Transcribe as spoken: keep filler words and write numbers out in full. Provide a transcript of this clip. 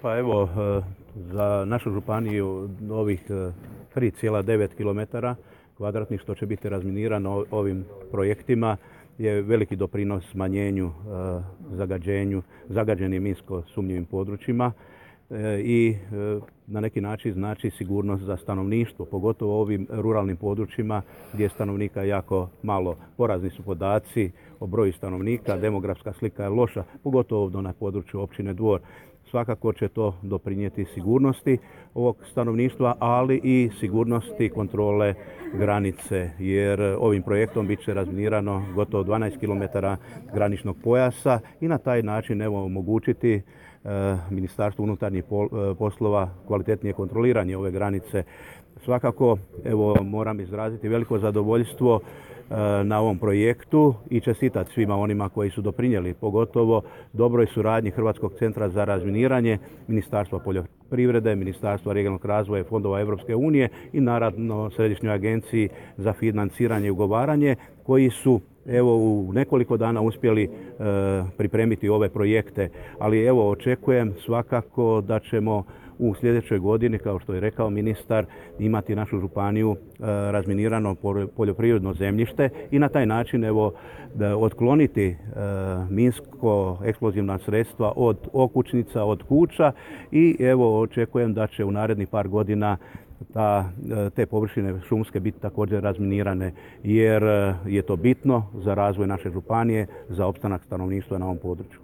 Pa evo, za našu županiju ovih tri zarez devet kilometara kvadratnih što će biti razminirano ovim projektima je veliki doprinos smanjenju zagađenju, zagađenim minsko sumnjivim područjima i na neki način znači sigurnost za stanovništvo, pogotovo u ovim ruralnim područjima gdje je stanovnika jako malo. Porazni su podaci o broju stanovnika, demografska slika je loša, pogotovo ovdje na području općine Dvor. Svakako će to doprinijeti sigurnosti ovog stanovništva, ali i sigurnosti kontrole granice, jer ovim projektom bit će razminirano gotovo dvanaest kilometara graničnog pojasa i na taj način evo omogućiti Ministarstvu unutarnjih poslova kvalitetnije kontroliranje ove granice. Svakako evo moram izraziti veliko zadovoljstvo na ovom projektu i čestitati svima onima koji su doprinijeli, pogotovo dobroj suradnji Hrvatskog centra za razminiranje, Ministarstva poljoprivrede, Ministarstva regionalnog razvoja i fondova Europske unije i naravno Središnjoj agenciji za financiranje i ugovaranje koji su evo u nekoliko dana uspjeli e, pripremiti ove projekte, ali evo očekujem svakako da ćemo u sljedećoj godini, kao što je rekao ministar, imati našu županiju e, razminirano poljoprivredno zemljište i na taj način evo da otkloniti e, minsko eksplozivna sredstva od okućnica, od kuća i evo očekujem da će u narednih par godina Ta, te površine šumske biti također razminirane jer je to bitno za razvoj naše županije, za opstanak stanovništva na ovom području.